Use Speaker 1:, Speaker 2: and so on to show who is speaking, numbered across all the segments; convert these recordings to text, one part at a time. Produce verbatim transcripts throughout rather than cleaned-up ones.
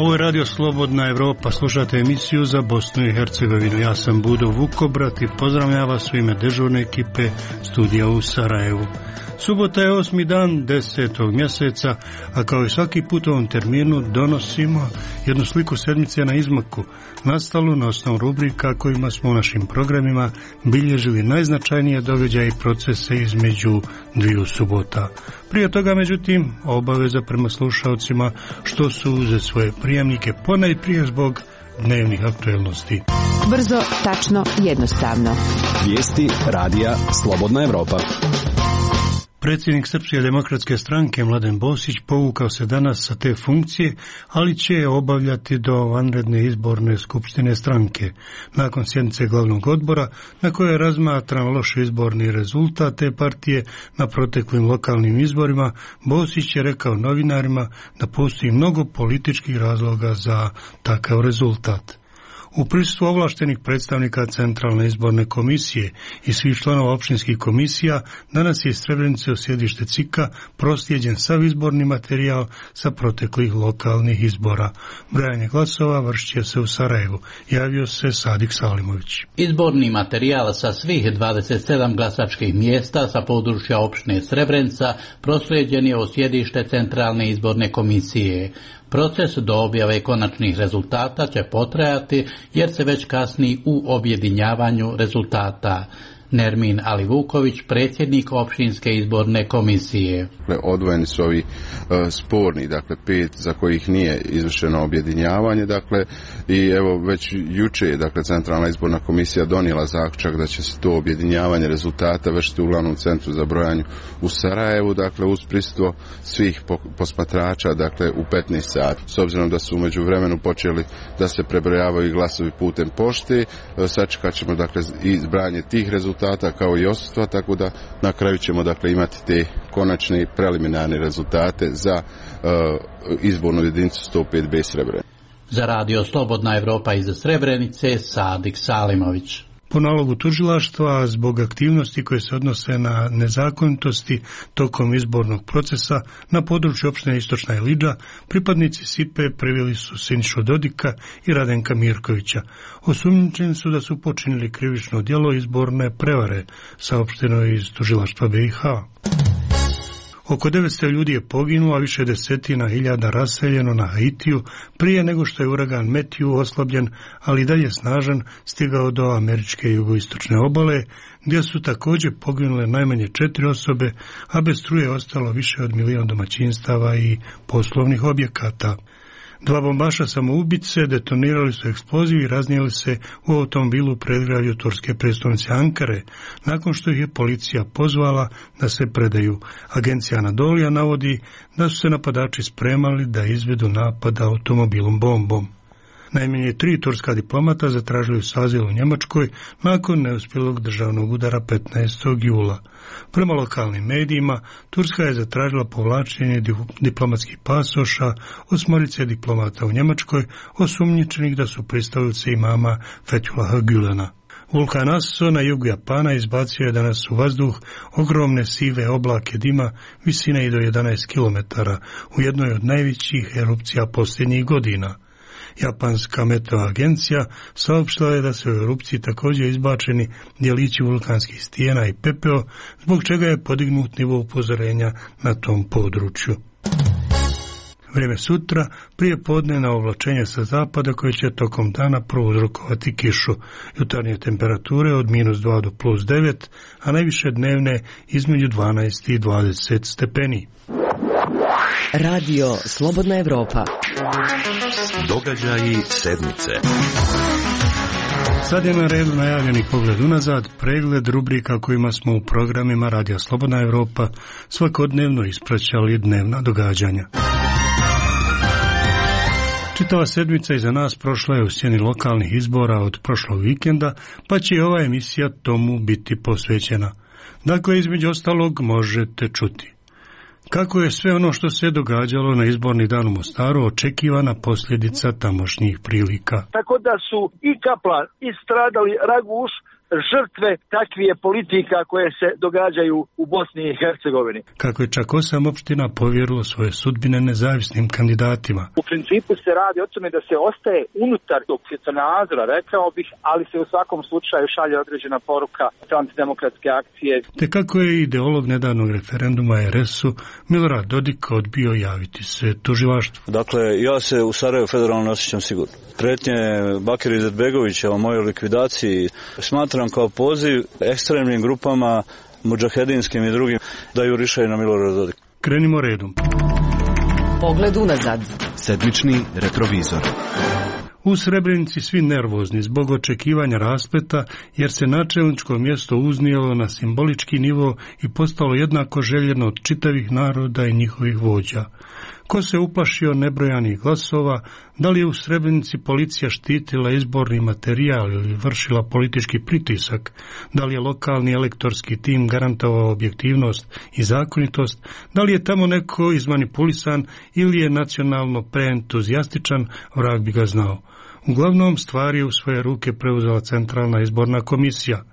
Speaker 1: Ovo je Radio Slobodna Evropa, slušate emisiju za Bosnu i Hercegovinu. Ja sam Budo Vukobrat i pozdravljam vas u ime dežurne ekipe studija u Sarajevu. Subota je osmi dan desetog mjeseca, a kao i svaki put u ovom terminu donosimo jednu sliku sedmice na izmaku, nastalu na osnovu rubrika kojima smo u našim programima bilježili najznačajnije događaje i procese između dviju subota. Prije toga, međutim, obaveza prema slušalcima što su uze svoje prijemnike, ponajprije zbog dnevnih aktuelnosti.
Speaker 2: Brzo, tačno, jednostavno.
Speaker 3: Vijesti radija Slobodna Evropa.
Speaker 1: Predsjednik Srpske demokratske stranke Mladen Bosić povukao se danas sa te funkcije, ali će je obavljati do vanredne izborne skupštine stranke. Nakon sjednice glavnog odbora, na kojoj je razmatran loš izborni rezultat te partije na proteklim lokalnim izborima, Bosić je rekao novinarima da postoji mnogo političkih razloga za takav rezultat. U prisustvu ovlaštenih predstavnika Centralne izborne komisije i svih članova općinskih komisija danas je iz Srebrenice u sjedište C I K-a proslijeđen sav izborni materijal sa proteklih lokalnih izbora. Brojanje glasova vršit će se u Sarajevu. Javio se Sadik Salimović.
Speaker 4: Izborni materijal sa svih dvadeset sedam glasačkih mjesta sa područja općine Srebrenica proslijeđen je u sjedište Centralne izborne komisije. Proces do objave konačnih rezultata će potrajati jer se već kasni u objedinjavanju rezultata. Nermin Alivuković, predsjednik općinske izborne komisije.
Speaker 5: Odvojeni su ovi uh, sporni, dakle pet za kojih nije izvršeno objedinjavanje, dakle i evo već juče, dakle Centralna izborna komisija donijela zaključak da će se to objedinjavanje rezultata vršiti u glavnom centru za brojanje u Sarajevu, dakle uz prisustvo svih posmatrača, dakle u petnaest sati. S obzirom da su u međuvremenu počeli da se prebrojavaju glasovi putem pošte, uh, sačekat ćemo dakle i zbrajanje tih rezultata kao i odsustva, tako da na kraju ćemo dakle imati te konačne i preliminarne rezultate za uh, izbornu jedinicu sto pet B Srebrenica.
Speaker 4: Za Radio Slobodna Evropa iz Srebrenice, Sadik Salimović.
Speaker 1: Po nalogu tužilaštva, zbog aktivnosti koje se odnose na nezakonitosti tokom izbornog procesa na području opštine Istočna Ilidža, pripadnici S I P-e priveli su Sinišu Dodika i Radenka Mirkovića. Osumnjičeni su da su počinili krivično djelo izborne prevare, saopšteno je iz tužilaštva B i H. Oko devetsto ljudi je poginulo, a više desetina hiljada raseljeno na Haitiju prije nego što je uragan Matthew oslabljen, ali dalje snažan, stigao do američke jugoistočne obale, gdje su također poginule najmanje četiri osobe, a bez struje ostalo više od milion domaćinstava i poslovnih objekata. Dva bombaša samoubice detonirali su eksploziv i raznijeli se u automobilu u predgradju turske prijestolnice Ankare, nakon što ih je policija pozvala da se predaju. Agencija Anadolija navodi da su se napadači spremali da izvedu napad automobilom bombom. Najmanje tri turska diplomata zatražili su azil u Njemačkoj nakon neuspjelog državnog udara petnaestog jula. Prema lokalnim medijima, Turska je zatražila povlačenje diplomatskih pasoša osmorice diplomata u Njemačkoj, osumnjičenih da su pristavice imama Fethullaha Gülena. Vulkan Aso na jugu Japana izbacio je danas u vazduh ogromne sive oblake dima visine i do jedanaest kilometara u jednoj od najvećih erupcija posljednjih godina. Japanska meteo agencija saopštila je da se u erupciji također izbačeni djelići vulkanskih stijena i pepeo, zbog čega je podignut nivo upozorenja na tom području. Vrijeme sutra, prije podnevna oblačenja sa zapada koje će tokom dana prouzrokovati kišu. Jutarnje temperature od minus dva do plus devet, a najviše dnevne između dvanaest i dvadeset stepeni.
Speaker 2: Radio Slobodna Evropa.
Speaker 3: Događaji sedmice.
Speaker 1: Sad je na redu najavljeni pogled unazad, pregled rubrika kojima smo u programima Radija Slobodna Evropa svakodnevno ispraćali dnevna događanja. Čitava sedmica iza nas prošla je u sjeni lokalnih izbora od prošlog vikenda, pa će i ova emisija tomu biti posvećena. Dakle, između ostalog možete čuti kako je sve ono što se događalo na izborni dan u Mostaru očekivana posljedica tamošnjih prilika.
Speaker 6: Tako da su i Kaplan i stradali Raguš, žrtve takvih politika koje se događaju u Bosni i Hercegovini.
Speaker 1: Kako je čak osam opština povjerilo svoje sudbine nezavisnim kandidatima.
Speaker 6: U principu se radi o tome da se ostaje unutar tog svjetonazora, rekao bih, ali se u svakom slučaju šalje određena poruka antidemokratske akcije.
Speaker 1: Te kako je ideolog nedavnog referenduma er es u Milorad Dodik odbio javiti se tužilaštvu.
Speaker 7: Dakle, ja se u Sarajevu federalno osjećam sigurno. Prijetnje Bakira Izetbegovića o mojoj likvidaciji smatram kao poziv ekstremnim grupama, mudžahedinskim i drugim, da jurišaju na Milorada Dodika.
Speaker 1: Krenimo redom.
Speaker 2: Pogled unazad.
Speaker 3: Sedmični retrovizor.
Speaker 1: U Srebrenici svi nervozni zbog očekivanja raspleta, jer se načelničko mjesto uznijelo na simbolički nivo i postalo jednako željeno od čitavih naroda i njihovih vođa. Ko se uplašio nebrojanih glasova, da li je u Srebrenici policija štitila izborni materijal ili vršila politički pritisak, da li je lokalni elektorski tim garantovao objektivnost i zakonitost, da li je tamo neko izmanipulisan ili je nacionalno preentuzijastičan, vrag bi ga znao. Uglavnom, stvari je u svoje ruke preuzela Centralna izborna komisija.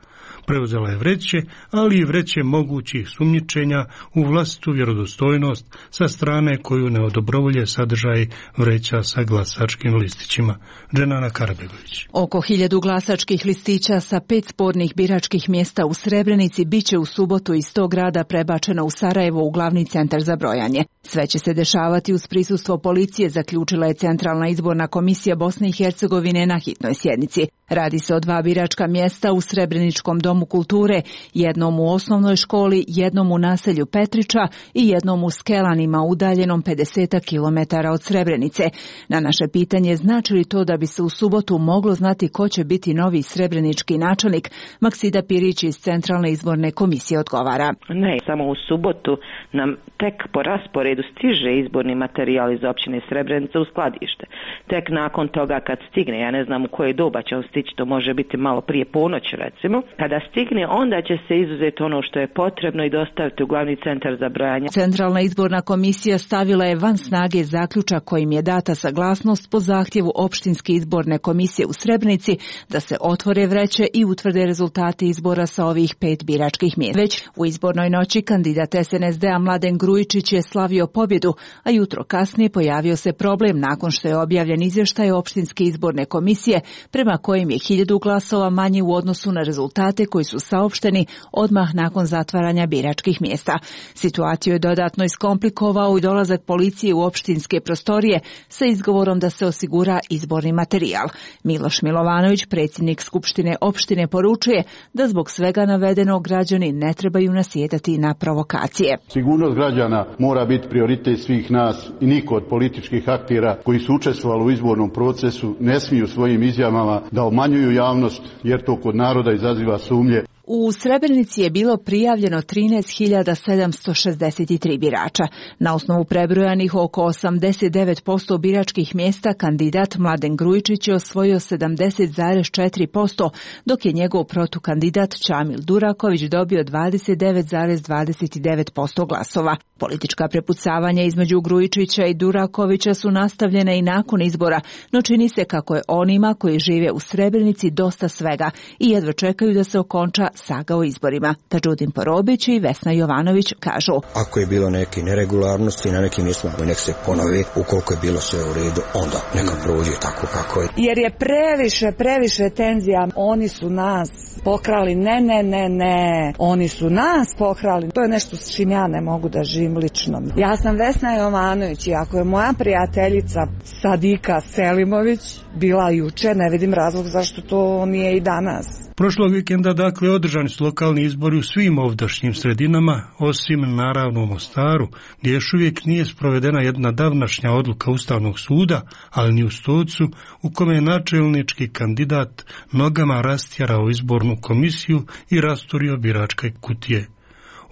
Speaker 1: Preuzela je vreće, ali i vreće mogućih sumnjičenja u vlastitu vjerodostojnost sa strane koju ne odobrovolje sadržaj vreća sa glasačkim listićima. Dženana Karabegović.
Speaker 8: Oko hiljadu glasačkih listića sa pet spornih biračkih mjesta u Srebrenici biće u subotu iz tog grada prebačeno u Sarajevo u glavni centar za brojanje. Sve će se dešavati uz prisustvo policije, zaključila je Centralna izborna komisija Bosne i Hercegovine na hitnoj sjednici. Radi se o dva biračka mjesta u Srebreničkom domu kulture, jednom u osnovnoj školi, jednom u naselju Petriča i jednom u Skelanima, udaljenom pedeset kilometara od Srebrenice. Na naše pitanje znači li to da bi se u subotu moglo znati ko će biti novi srebrenički načelnik, Maksida Pirić iz Centralne izborne komisije odgovara.
Speaker 9: Ne, samo u subotu nam tek po rasporedu stiže izborni materijal iz općine Srebrenica u skladište. Tek nakon toga kad stigne, ja ne znam u koje doba će on stići, to može biti malo prije ponoći recimo, kada stigne onda će se izuzeti ono što je potrebno i dostaviti u glavni centar za brojanje.
Speaker 8: Centralna izborna komisija stavila je van snage zaključak kojim je data saglasnost po zahtjevu opštinske izborne komisije u Srebrenici da se otvore vreće i utvrde rezultati izbora sa ovih pet biračkih mjesta. Već u izbornoj noći kandidat es en es de a Mladen Grujičić je slavio pobjedu, a jutro kasnije pojavio se problem nakon što je objavljen izvještaj opštinske izborne komisije prema kojim je hiljadu glasova manje u odnosu na rezultate koji su saopšteni odmah nakon zatvaranja biračkih mjesta. Situaciju je dodatno iskomplikovao i dolazak policije u opštinske prostorije sa izgovorom da se osigura izborni materijal. Miloš Milovanović, predsjednik Skupštine opštine, poručuje da zbog svega navedenog građani ne trebaju nasjedati na provokacije.
Speaker 10: Sigurnost građana mora biti prioritet svih nas i niko od političkih aktera koji su učestvovali u izbornom procesu ne smiju svojim izjavama da obmanjuju javnost, jer to kod naroda izaziva sumnje.
Speaker 8: U Srebrenici je bilo prijavljeno trinaest hiljada sedamsto šezdeset tri birača. Na osnovu prebrojanih oko osamdeset devet posto biračkih mjesta kandidat Mladen Grujičić je osvojio sedamdeset zarez četiri posto, dok je njegov protukandidat Čamil Duraković dobio dvadeset devet zarez dvadeset devet posto glasova. Politička prepucavanja između Grujičića i Durakovića su nastavljene i nakon izbora, no čini se kako je onima koji žive u Srebrenici dosta svega i jedva čekaju da se okonča saga o izborima. Tađudin Porobić i Vesna Jovanović kažu:
Speaker 11: ako je bilo neke neregularnosti na nekim mjestima, nek se ponovi, ukoliko je bilo sve u redu, onda neka prođe tako kako je.
Speaker 12: Jer je previše, previše tenzija. Oni su nas pokrali, ne, ne, ne, ne. Oni su nas pokrali. To je nešto s čim ja ne mogu da živim lično. Ja sam Vesna Jovanović i ako je moja prijateljica Sadika Selimović bila juče, ne vidim razlog zašto to nije i danas.
Speaker 1: Prošlog vikenda, dakle, održani su lokalni izbori u svim ovdašnjim sredinama, osim naravno u Mostaru, gdje još uvijek nije sprovedena jedna davnašnja odluka Ustavnog suda, ali ni u Stocu, u kome je načelnički kandidat nogama rastjerao izbornu komisiju i rasturio biračke kutije.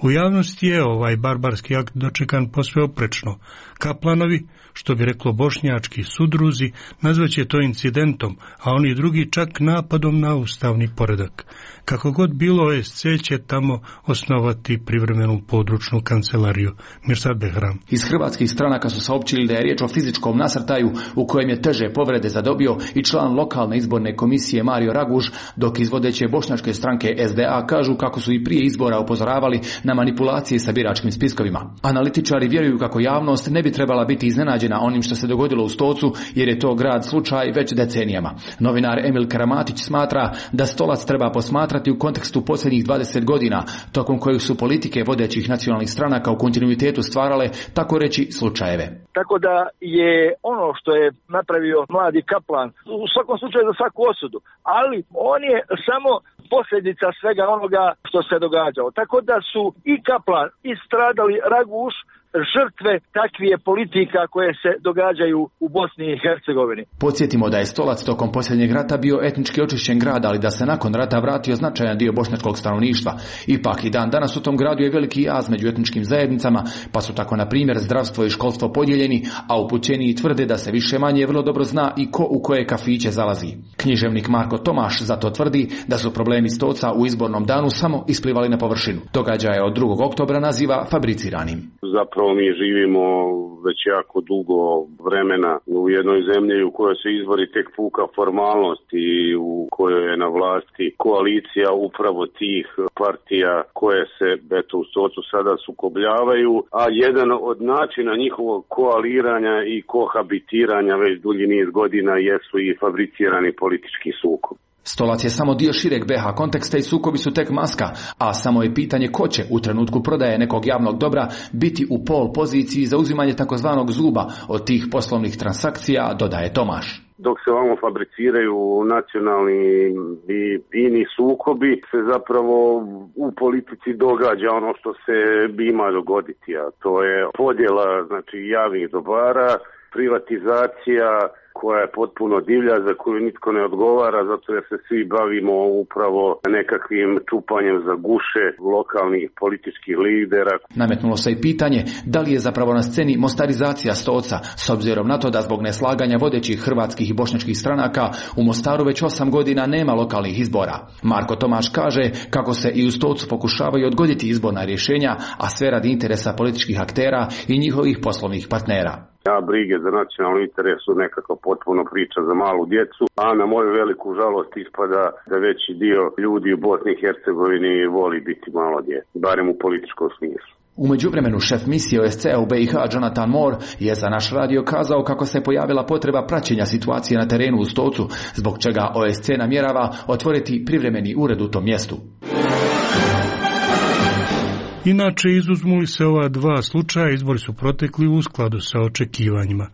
Speaker 1: U javnosti je ovaj barbarski akt dočekan posve oprečno. Kaplanovi, što bi reklo bošnjački sudruzi, nazvaće to incidentom, a oni drugi čak napadom na ustavni poredak. Kako god bilo, O S C će tamo osnovati privremenu područnu kancelariju. Mirsad Behram.
Speaker 13: Iz hrvatskih stranaka su saopćili da je riječ o fizičkom nasrtaju u kojem je teže povrede zadobio i član lokalne izborne komisije Mario Raguž, dok iz vodeće bošnjačke stranke S D A kažu kako su i prije izbora upozoravali na manipulacije sa biračkim spiskovima. Analitičari vjeruju kako javnost ne bi trebala biti iznenađena onim što se dogodilo u Stocu, jer je to grad slučaj već decenijama. Novinar Emil Karamatić smatra da Stolac treba posmatrati u kontekstu posljednjih dvadeset godina, tokom kojih su politike vodećih nacionalnih stranaka u kontinuitetu stvarale, tako reći, slučajeve.
Speaker 6: Tako da je ono što je napravio mladi Kaplan u svakom slučaju za svaku osudu, ali on je samo posljedica svega onoga što se događalo. Tako da su i Kaplan i stradali Raguž žrtve takvije politika koje se događaju u Bosni i Hercegovini.
Speaker 13: Podsjetimo da je Stolac tokom posljednjeg rata bio etnički očišćen grad, ali da se nakon rata vratio značajan dio bošnjačkog stanovništva. Ipak i dan danas u tom gradu je veliki jaz među etničkim zajednicama, pa su tako na primjer zdravstvo i školstvo podijeljeni, a upućeniji tvrde da se više manje vrlo dobro zna i ko u koje kafiće zalazi. Književnik Marko Tomaš zato tvrdi da su problemi Stoca u izbornom danu samo isplivali na površinu. Događaje od drugog oktobra naziva fabriciranim.
Speaker 14: Zapravo mi živimo već jako dugo vremena u jednoj zemlji u kojoj se izbori tek puka formalnost i u kojoj je na vlasti koalicija upravo tih partija koje se eto, u Stocu sada sukobljavaju, a jedan od načina njihovog koaliranja i kohabitiranja već dulji niz godina jesu i fabricirani politički sukob.
Speaker 13: Stolac je samo dio šireg B H konteksta i sukobi su tek maska, a samo je pitanje ko će u trenutku prodaje nekog javnog dobra biti u pol poziciji za uzimanje takozvanog zuba od tih poslovnih transakcija, dodaje Tomaš.
Speaker 14: Dok se ovamo fabriciraju nacionalni i ini sukobi, se zapravo u politici događa ono što se ima dogoditi, a to je podjela znači, javnih dobara, privatizacija koja je potpuno divlja, za koju nitko ne odgovara, zato jer se svi bavimo upravo nekakvim čupanjem za guše lokalnih političkih lidera.
Speaker 13: Nametnulo se i pitanje da li je zapravo na sceni mostarizacija Stoca, s obzirom na to da zbog neslaganja vodećih hrvatskih i bošnjačkih stranaka u Mostaru već osam godina nema lokalnih izbora. Marko Tomaš kaže kako se i u Stocu pokušavaju odgoditi izborna rješenja, a sve radi interesa političkih aktera i njihovih poslovnih partnera.
Speaker 14: Ja brige za nacionalni interes su nekako potpuno priča za malu djecu, a na moju veliku žalost ispada da veći dio ljudi u Bosni i Hercegovini voli biti malo djece, barem u političkom smislu.
Speaker 13: U međuvremenu šef misije O S C u B i H Jonathan Moore je za naš radio kazao kako se pojavila potreba praćenja situacije na terenu u Stocu, zbog čega O S C namjerava otvoriti privremeni ured u tom mjestu.
Speaker 1: Inače, izuzmu li se ova dva slučaja, izbori su protekli u skladu sa očekivanjima.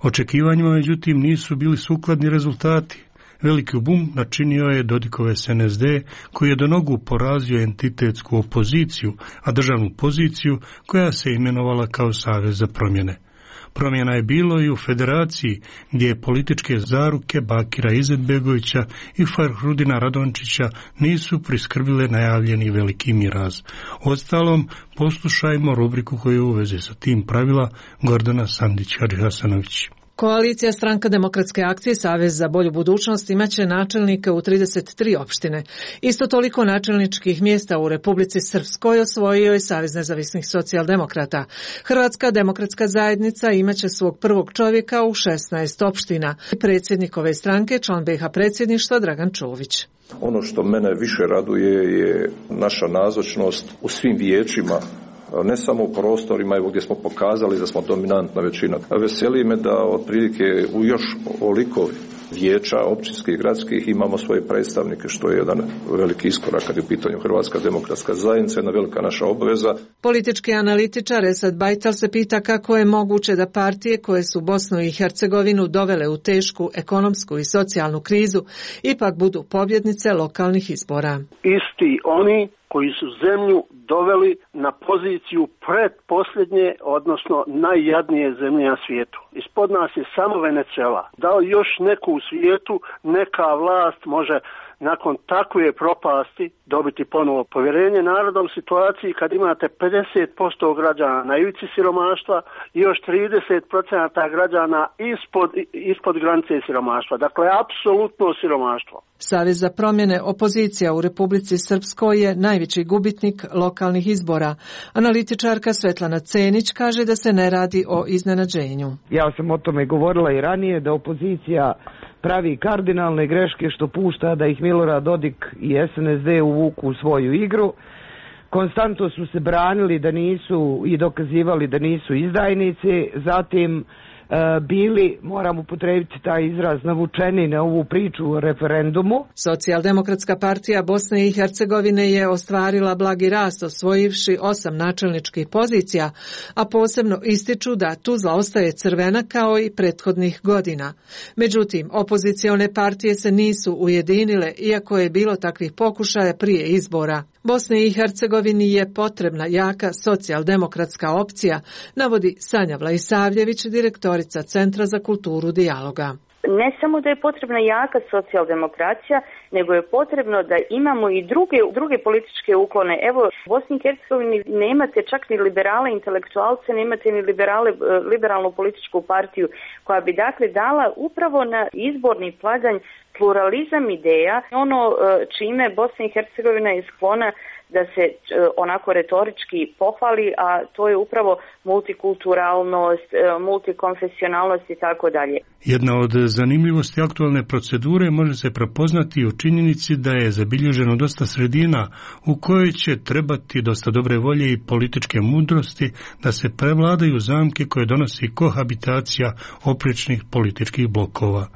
Speaker 1: Očekivanjima, međutim, nisu bili sukladni rezultati. Veliki bum načinio je Dodikov S N S D, koji je do nogu porazio entitetsku opoziciju, a državnu poziciju koja se imenovala kao Savez za promjene. Promjena je bilo i u federaciji, gdje je političke zaruke Bakira Izetbegovića i Fahrudina Radončića nisu priskrbile najavljeni veliki miraz. Ostalom, poslušajmo rubriku koju u vezi sa tim pravila Gordana Sandić-Hadžihasanović.
Speaker 15: Koalicija Stranka demokratske akcije Savez za bolju budućnost imaće načelnike u trideset tri opštine. Isto toliko načelničkih mjesta u Republici Srpskoj osvojio je Savez nezavisnih socijaldemokrata. Hrvatska demokratska zajednica imaće svog prvog čovjeka u šesnaest opština. Predsjednik ove stranke, član B H predsjedništva Dragan Čović.
Speaker 16: Ono što mene više raduje je naša nazočnost u svim vijećima, ne samo u prostorima evo gdje smo pokazali da smo dominantna većina. Veseli me da otprilike u još oliko vijeća općinskih i gradskih imamo svoje predstavnike, što je jedan veliki iskorak kad je u pitanju Hrvatska demokratska zajednica, jedna velika naša obveza.
Speaker 15: Politički analitičar Esad Bajtal se pita kako je moguće da partije koje su Bosnu i Hercegovinu dovele u tešku ekonomsku i socijalnu krizu ipak budu pobjednice lokalnih izbora.
Speaker 17: Isti oni koji su zemlju doveli na poziciju predposljednje, odnosno najjadnije zemlje na svijetu. Ispod nas je samo Venezuela. Da li još neku u svijetu neka vlast može nakon takve propasti dobiti ponovo povjerenje naroda u situaciji kad imate pedeset posto građana na ivici siromaštva i još trideset posto građana ispod, ispod granice siromaštva. Dakle, apsolutno siromaštvo.
Speaker 15: Savez za promjene opozicija u Republici Srpskoj je najveći gubitnik lokalnih izbora. Analitičarka Svetlana Cenić kaže da se ne radi o iznenađenju.
Speaker 18: Ja sam o tome govorila i ranije, da opozicija pravi kardinalne greške što pušta da ih Milorad Dodik i S N S D uvuku u svoju igru. Konstantno su se branili da nisu i dokazivali da nisu izdajnici, zatim e, bili, moram upotrebiti taj izraz, navučeni na ovu priču o referendumu.
Speaker 15: Socijaldemokratska partija Bosne i Hercegovine je ostvarila blagi rast, osvojivši osam načelničkih pozicija, a posebno ističu da Tuzla ostaje crvena kao i prethodnih godina. Međutim, opozicione partije se nisu ujedinile, iako je bilo takvih pokušaja prije izbora. Bosni i Hercegovini je potrebna jaka socijaldemokratska opcija, navodi Sanja Vlaisavljević, direktorica Centra za kulturu dijaloga.
Speaker 19: Ne samo da je potrebna jaka socijaldemokracija, nego je potrebno da imamo i druge, druge političke uklone. Evo, u Bosni i Hercegovini nemate čak ni liberale intelektualce, nemate ni liberale, liberalnu političku partiju, koja bi dakle dala upravo na izborni pladanj pluralizam ideja, ono čime Bosna i Hercegovina je sklona da se onako retorički pohvali, a to je upravo multikulturalnost, multikonfesionalnost i tako dalje.
Speaker 1: Jedna od zanimljivosti aktualne procedure može se prepoznati u činjenici da je zabilježeno dosta sredina u kojoj će trebati dosta dobre volje i političke mudrosti da se prevladaju zamke koje donosi kohabitacija oprečnih političkih blokova.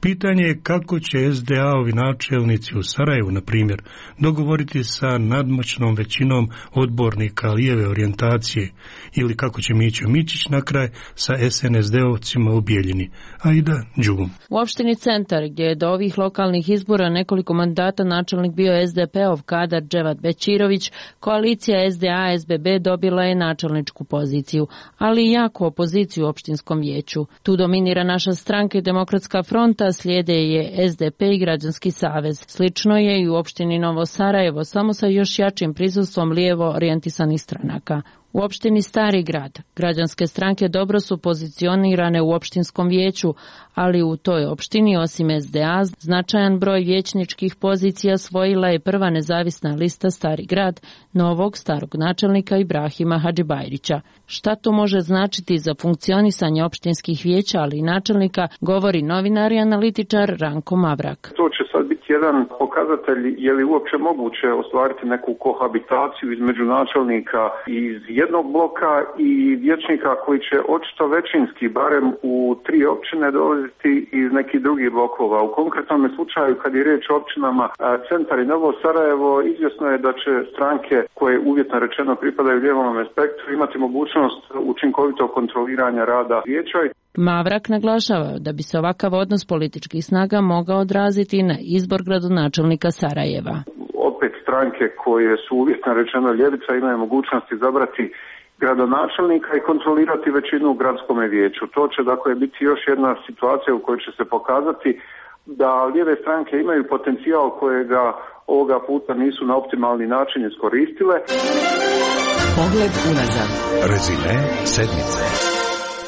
Speaker 1: Pitanje je kako će S D A-ovi načelnici u Sarajevu, na primjer, dogovoriti sa nadmoćnom većinom odbornika lijeve orijentacije ili kako će Mićo Mičić na kraj sa S N S D-ovcima u Bijeljini. Aida Đugum.
Speaker 20: U opštini Centar, gdje je do ovih lokalnih izbora nekoliko mandata načelnik bio S D P-ov kadar Dževat Bećirović, koalicija S D A S B B dobila je načelničku poziciju, ali i jaku opoziciju u opštinskom vijeću. Tu dominira naša stranka i Demokratska fronta, slijede je S D P i Građanski savez. Slično je i u opštini Novo Sarajevo, samo sa još jačim prisustvom lijevo orijentisanih stranaka. U opštini Stari grad građanske stranke dobro su pozicionirane u opštinskom vijeću, ali u toj opštini osim S D A značajan broj vijećničkih pozicija osvojila je prva nezavisna lista Stari grad novog starog načelnika Ibrahima Hadžibajrića. Šta to može značiti za funkcionisanje opštinskih vijeća, ali i načelnika, govori novinar i analitičar Ranko Mavrak.
Speaker 14: To će sad biti jedan pokazatelj je li uopće moguće ostvariti neku kohabitaciju između načelnika iz jednog bloka i vijećnika koji će očito većinski, barem u tri općine, dolaziti iz nekih drugih blokova. U konkretnom slučaju, kad je riječ o općinama Centar i Novo Sarajevo, izvjesno je da će stranke koje uvjetno rečeno pripadaju lijevom spektru imati mogućnost učinkovitog kontroliranja rada vijeća.
Speaker 20: Mavrak naglašava da bi se ovakav odnos političkih snaga mogao odraziti na izbor gradonačelnika Sarajeva.
Speaker 14: Opet stranke koje su uvjetno rečeno ljevica imaju mogućnost izabrati gradonačelnika i kontrolirati većinu u gradskome vijeću. To će dakle biti još jedna situacija u kojoj će se pokazati da lijeve stranke imaju potencijal kojega ovoga puta nisu na optimalni način iskoristile.
Speaker 2: Pogled unazad.
Speaker 3: Rezime sedmice.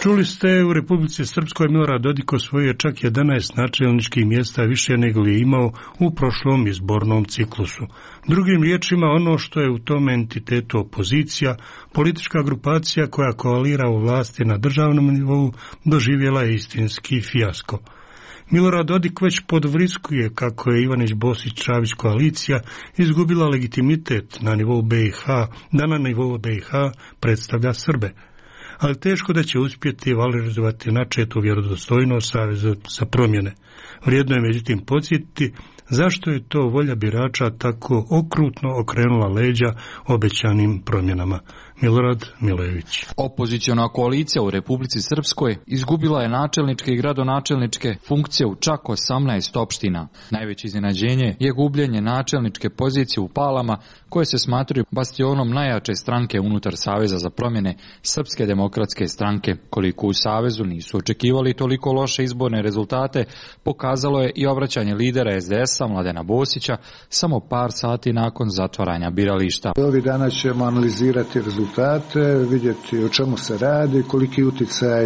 Speaker 1: Čuli ste, u Republici Srpskoj Milorad Dodik osvojio čak jedanaest načelničkih mjesta više nego li je imao u prošlom izbornom ciklusu. Drugim riječima, ono što je u tom entitetu opozicija, politička grupacija koja koalira u vlasti na državnom nivou, doživjela je istinski fijasko. Milorad Dodik već podvriskuje kako je Ivanić Bosić Čavić koalicija izgubila legitimitet na nivou B i H, da na nivou B i H predstavlja Srbe. Ali teško da će uspjeti valorizovati načetu vjerodostojnost Saveza za promjene. Vrijedno je međutim podsjetiti zašto je to volja birača tako okrutno okrenula leđa obećanim promjenama. Milorad Milojević.
Speaker 21: Opoziciona koalicija u Republici Srpskoj izgubila je načelničke i gradonačelničke funkcije u čak osamnaest opština. Najveće iznenađenje je gubljenje načelničke pozicije u Palama, koje se smatraju bastionom najjače stranke unutar Saveza za promjene Srpske demokratske stranke. Koliko u Savezu nisu očekivali toliko loše izborne rezultate, pokazalo je i obraćanje lidera S D S-a Mladena Bosića samo par sati nakon zatvaranja birališta.
Speaker 5: Ovih dana ćemo analizirati rezultate, vidjeti o čemu se radi, koliki utjecaj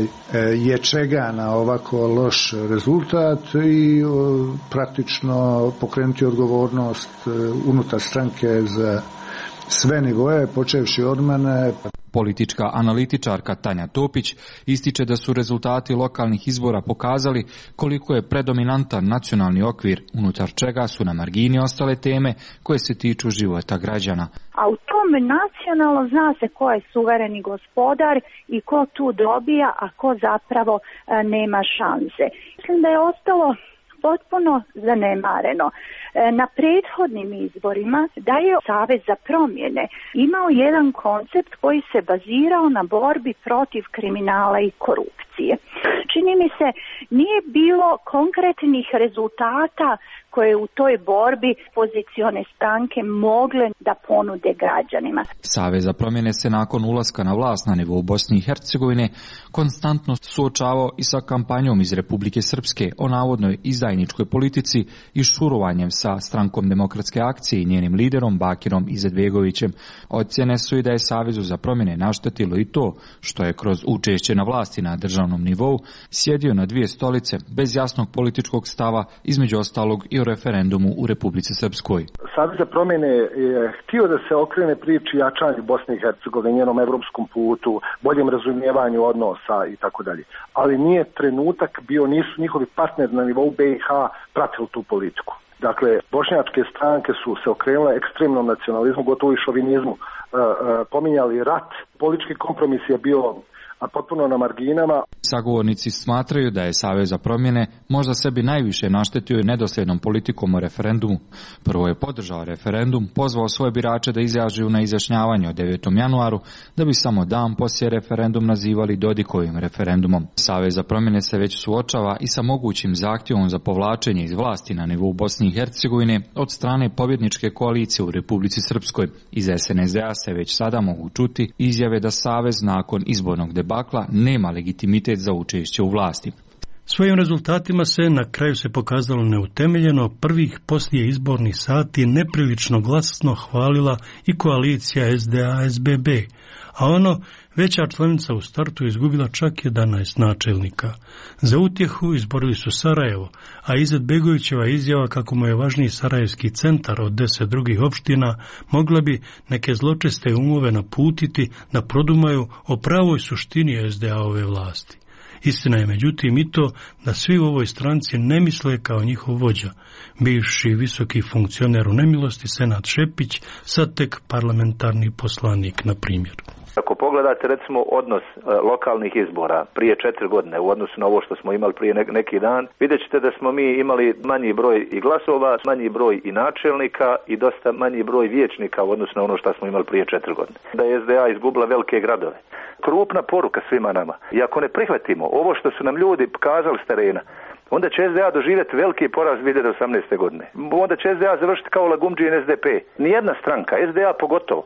Speaker 5: je čega na ovako loš rezultat i praktično pokrenuti odgovornost unutar stranke za sve nivoje, počevši od mene.
Speaker 21: Politička analitičarka Tanja Topić ističe da su rezultati lokalnih izbora pokazali koliko je predominantan nacionalni okvir, unutar čega su na margini ostale teme koje se tiču života građana.
Speaker 22: A u tom nacionalno zna se ko je suvereni gospodar i ko tu dobija, a ko zapravo nema šanse. Mislim da je ostalo potpuno zanemareno. Na prethodnim izborima da je Savez za promjene imao jedan koncept koji se bazirao na borbi protiv kriminala i korupcije. Čini mi se nije bilo konkretnih rezultata koje u toj borbi pozicione stranke mogle da ponude građanima.
Speaker 21: Savez za promjene se nakon ulaska na vlast na nivou Bosne i Hercegovine konstantno suočavao i sa kampanjom iz Republike Srpske o navodnoj izdajničkoj politici i šurovanjem sa Strankom demokratske akcije i njenim liderom Bakirom Izetbegovićem. Ocjene su i da je Savezu za promjene naštetilo i to što je kroz učešće na vlasti na državnom nivou sjedio na dvije stolice bez jasnog političkog stava, između ostalog i o referendumu u Republici Srpskoj.
Speaker 23: Savez za promjene je htio da se okrene priči jačanju Bosne i Hercegovine, njenom evropskom putu, boljem razumijevanju odnosa i tako dalje. Ali nije trenutak bio, nisu njihovi partneri na nivou B i H pratili tu politiku. Dakle, bošnjačke stranke su se okrenule ekstremnom nacionalizmu, gotovo i šovinizmu, e, e, pominjali rat, politički kompromis je bio a potpuno na marginama.
Speaker 21: Sagovornici smatraju da je Savez za promjene možda sebi najviše naštetio i nedosljednom politikom o referendumu. Prvo je podržao referendum, pozvao svoje birače da izađu na izjašnjavanje o devetom januaru, da bi samo dan poslije referendum nazivali Dodikovim referendumom. Savez za promjene se već suočava i sa mogućim zahtjevom za povlačenje iz vlasti na nivou Bosne i Hercegovine od strane pobjedničke koalicije u Republici Srpskoj. Iz S N S D-a se već sada mogu čuti izjave da Savez nakon izbornog bakla nema legitimitet za učešće u vlasti.
Speaker 1: Svojim rezultatima se na kraju se pokazalo neutemeljeno, prvih poslije izbornih sati neprilično glasno hvalila i koalicija S D A S B B, a ono veća članica u startu izgubila čak jedanaest načelnika. Za utjehu izborili su Sarajevo, a Izetbegovićeva izjava kako mu je važniji sarajevski centar od deset drugih opština mogla bi neke zločeste umove naputiti da produmaju o pravoj suštini S D A-ove vlasti. Istina je međutim i to da svi u ovoj stranci ne misle kao njihov vođa, bivši visoki funkcioner u nemilosti Senad Šepić, sad tek parlamentarni poslanik, na primjer.
Speaker 24: Ako pogledate recimo odnos e, lokalnih izbora prije četiri godine u odnosu na ovo što smo imali prije ne, neki dan, vidjet ćete da smo mi imali manji broj i glasova, manji broj i načelnika i dosta manji broj vijećnika u odnosu na ono što smo imali prije četiri godine. Da je S D A izgubila velike gradove. Krupna poruka svima nama. I ako ne prihvatimo ovo što su nam ljudi pokazali s terena, onda će S D A doživjeti veliki poraz dvije hiljade osamnaeste. godine. Onda će S D A završiti kao Lagumdži i S D P. Nijedna stranka, S D A pogotovo,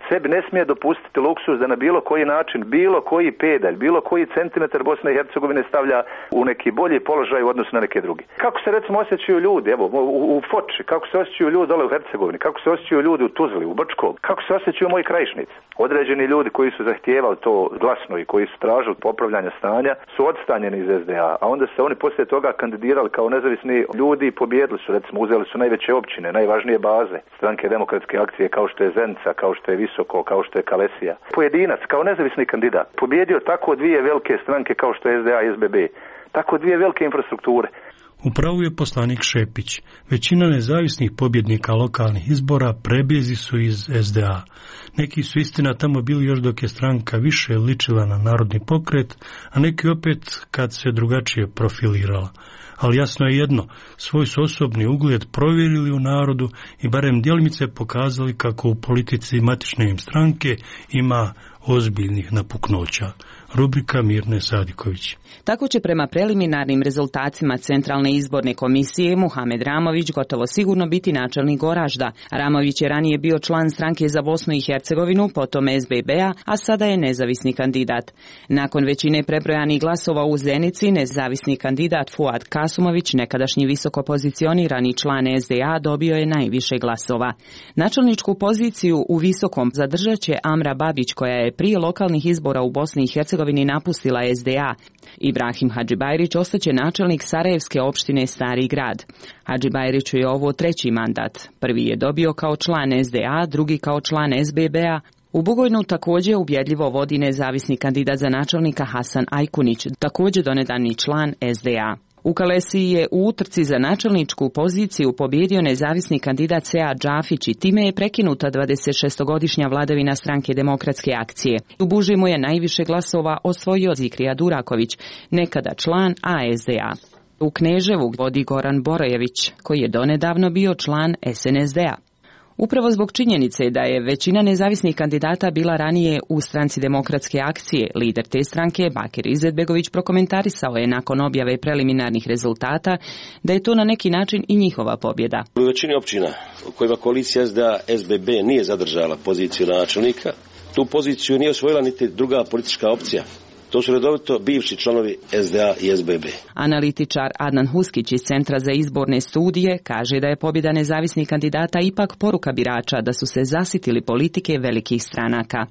Speaker 24: sebi ne smije dopustiti luksuz da na bilo koji način, bilo koji pedalj, bilo koji centimetar Bosne i Hercegovine stavlja u neki bolji položaj u odnosu na neke druge. Kako se recimo osjećaju ljudi, evo, u, u Foči, kako se osjećaju ljudi dole u Hercegovini, kako se osjećaju ljudi u Tuzli, u Brčkom, kako se osjećaju moji krajišnici. Određeni ljudi koji su zahtijevali to glasno i koji su tražili popravljanja stanja su odstanjeni iz S D A, a onda se oni poslije toga kandidirali kao nezavisni ljudi i pobjedili su, recimo uzeli su najveće općine, najvažnije baze Stranke demokratske akcije kao što je Zenica, kao što je Visoko, kao što je Kalesija. Pojedinac kao nezavisni kandidat pobjedio tako dvije velike stranke kao što je S D A i S B B, tako dvije velike infrastrukture.
Speaker 1: Upravo je poslanik Šepić. Većina nezavisnih pobjednika lokalnih izbora prebjezi su iz S D A. Neki su istina tamo bili još dok je stranka više ličila na narodni pokret, a neki opet kad se drugačije profilirala. Ali jasno je jedno, svoj su osobni ugled provjerili u narodu i barem djelimice pokazali kako u politici matične im stranke ima ozbiljnih napuknoća. rubrika Mirne Sadiković.
Speaker 4: Tako će prema preliminarnim rezultatima Centralne izborne komisije Muhamed Ramović gotovo sigurno biti načelnik Goražda. Ramović je ranije bio član Stranke za Bosnu i Hercegovinu, potom es be be-a, a sada je nezavisni kandidat. Nakon većine prebrojanih glasova u Zenici, nezavisni kandidat Fuad Kasumović, nekadašnji visoko pozicionirani član es de a, dobio je najviše glasova. Načelničku poziciju u Visokom zadržat će Amra Babić, koja je prije lokalnih izbora u Bosni i Hercegovini napustila es de a. Ibrahim Hadžibajrić ostaće načelnik Sarajevske opštine Stari grad. Hadžibajriću je ovo treći mandat. Prvi je dobio kao član es de a, drugi kao član es be be-a. U Bugojnu također ubjedljivo vodi nezavisni kandidat za načelnika Hasan Ajkunić, također donedavni član es de a. U Kalesiji je u utrci za načelničku poziciju pobjedio nezavisni kandidat Sead Džafić i time je prekinuta dvadesetšestogodišnja vladavina Stranke demokratske akcije. U Bužimu je najviše glasova osvojio Zikrija Duraković, nekada član a es de a. U Kneževu vodi Goran Borojević, koji je donedavno bio član es en es de-a. Upravo zbog činjenice da je većina nezavisnih kandidata bila ranije u Stranci demokratske akcije, lider te stranke, Bakir Izetbegović, prokomentarisao je nakon objave preliminarnih rezultata da je to na neki način i njihova pobjeda.
Speaker 7: U većini općina u kojima koalicija es de a es be be nije zadržala poziciju načelnika, tu poziciju nije osvojila niti druga politička opcija. To su redovito bivši članovi es de a i es be be.
Speaker 4: Analitičar Adnan Huskić iz Centra za izborne studije kaže da je pobjeda nezavisnih kandidata ipak poruka birača da su se zasitili politike velikih stranaka.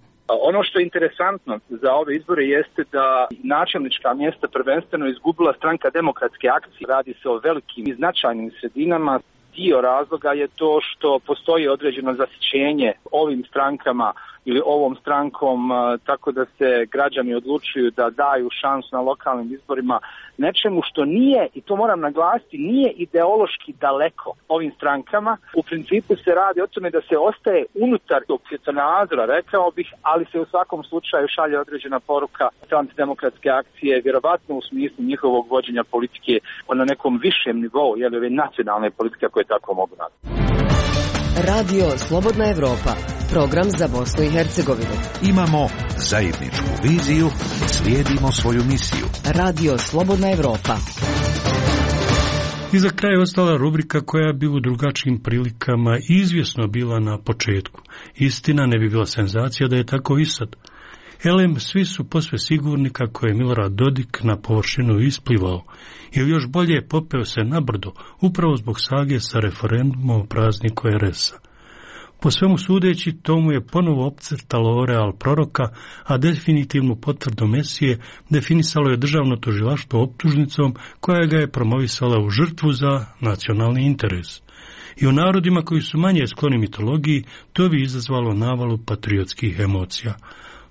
Speaker 9: Ono što je interesantno za ove izbore jeste da načelnička mjesta prvenstveno izgubila Stranka demokratske akcije. Radi se o velikim i značajnim sredinama. Dio razloga je to što postoji određeno zasićenje ovim strankama ili ovom strankom, tako da se građani odlučuju da daju šansu na lokalnim izborima nečemu što nije, i to moram naglasiti, nije ideološki daleko ovim strankama. U principu se radi o tome da se ostaje unutar tog svjetonazora, rekao bih, ali se u svakom slučaju šalje određena poruka antidemokratske akcije, vjerovatno u smislu njihovog vođenja politike na nekom višem nivou, jer ove nacionalne politike koje tako mogu nazvati.
Speaker 2: Radio Slobodna Evropa, program za Bosnu i Hercegovinu.
Speaker 3: Imamo zajedničku viziju, slijedimo svoju misiju.
Speaker 2: Radio Slobodna Evropa.
Speaker 1: I za kraj ostala rubrika koja bi u drugačijim prilikama izvjesno bila na početku. Istina, ne bi bila senzacija da je tako i sad. Elem, svi su posve sigurni kako je Milorad Dodik na površinu isplivao, ili još bolje popeo se na brdo, upravo zbog sage sa referendumom o prazniku er es-a. Po svemu sudeći, to mu je ponovo opcrtalo real proroka, a definitivnu potvrdu Mesije definisalo je državno tužilaštvo optužnicom koja ga je promovisala u žrtvu za nacionalni interes. I u narodima koji su manje skloni mitologiji, to bi izazvalo navalu patriotskih emocija.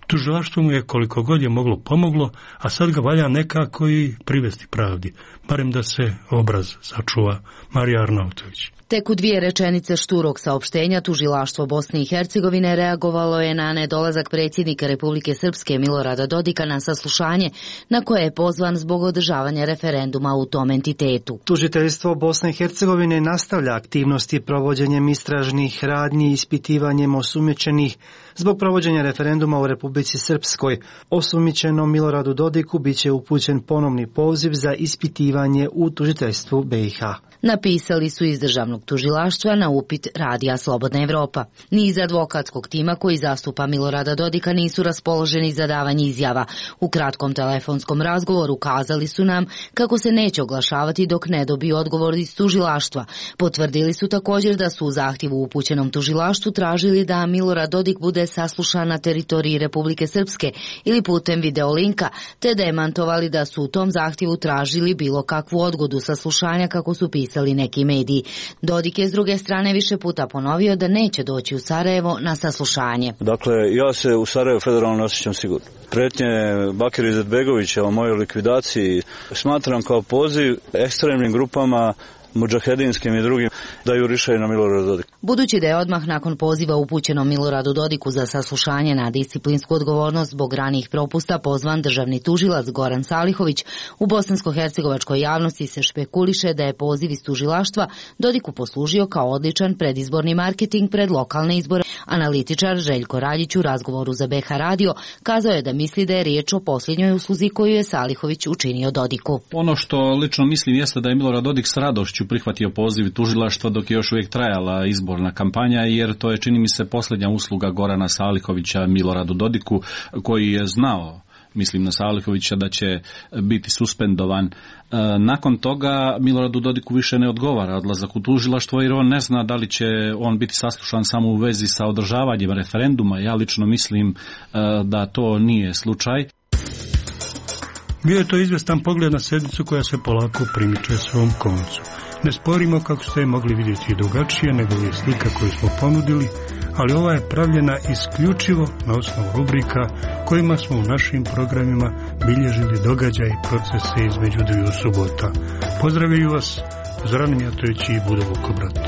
Speaker 1: Tužilaštvo mu je koliko god je moglo pomoglo, a sad ga valja nekako i privesti pravdi, barem da se obraz sačuva. Marija Arnautović.
Speaker 10: Tek u dvije rečenice šturog saopštenja tužilaštvo Bosne i Hercegovine reagovalo je na nedolazak predsjednika Republike Srpske Milorada Dodika na saslušanje na koje je pozvan zbog održavanja referenduma u tom entitetu.
Speaker 25: Tužiteljstvo Bosne i Hercegovine nastavlja aktivnosti provođenjem istražnih radnji i ispitivanjem osumnjičenih zbog provođenja referenduma u Republici Srpskoj. Osumnjičenom Miloradu Dodiku biće upućen ponovni poziv za ispitivanje u tužiteljstvu be i ha.
Speaker 10: Napisali su iz državnog tužilaštva na upit Radija Slobodna Evropa. Ni iz advokatskog tima koji zastupa Milorada Dodika nisu raspoloženi za davanje izjava. U kratkom telefonskom razgovoru kazali su nam kako se neće oglašavati dok ne dobiju odgovor iz tužilaštva. Potvrdili su također da su u zahtjevu upućenom tužilaštvu tražili da Milorad Dodik bude saslušan na teritoriji Republike Srpske ili putem videolinka, te demantovali da su u tom zahtjevu tražili bilo kakvu odgodu saslušanja kako su pisali neki mediji. Dodik je s druge strane više puta ponovio da neće doći u Sarajevo na saslušanje.
Speaker 26: Dakle, ja se u Sarajevo federalno ne osjećam sigurno. Pretnje Bakira Izetbegovića o mojoj likvidaciji smatram kao poziv ekstremnim grupama mudžahedinskim i drugim da jurišaju na Milorada Dodika.
Speaker 10: Budući da je odmah nakon poziva upućenom Miloradu Dodiku za saslušanje na disciplinsku odgovornost zbog ranijih propusta pozvan državni tužilac Goran Salihović, u bosansko-hercegovačkoj javnosti se špekuliše da je poziv iz tužilaštva Dodiku poslužio kao odličan predizborni marketing pred lokalne izbore, Analitičar Željko Raljić u razgovoru za B H radio kazao je da misli da je riječ o posljednjoj usluzi koju je Salihović učinio Dodiku.
Speaker 6: Ono što lično mislim jeste da je Milorad Dodik s radošću prihvatio poziv tužilaštva dok je još uvijek trajala izborna kampanja, jer to je, čini mi se, posljednja usluga Gorana Salihovića Miloradu Dodiku, koji je znao, mislim na Salihovića, da će biti suspendovan. Nakon toga Miloradu Dodiku više ne odgovara odlazak u tužilaštvo, jer on ne zna da li će on biti saslušan samo u vezi sa održavanjem referenduma. Ja lično mislim da to nije slučaj.
Speaker 1: Bio je to izvestan pogled na sednicu koja se polako primiče svom koncu. Ne sporimo, kako ste mogli vidjeti, i drugačije nego je slika koju smo ponudili, ali ova je pravljena isključivo na osnovu rubrika kojima smo u našim programima bilježili događaj i procese između dviju subota. Pozdravljaju vas Zoran Mijatović i Budo Vukobrat.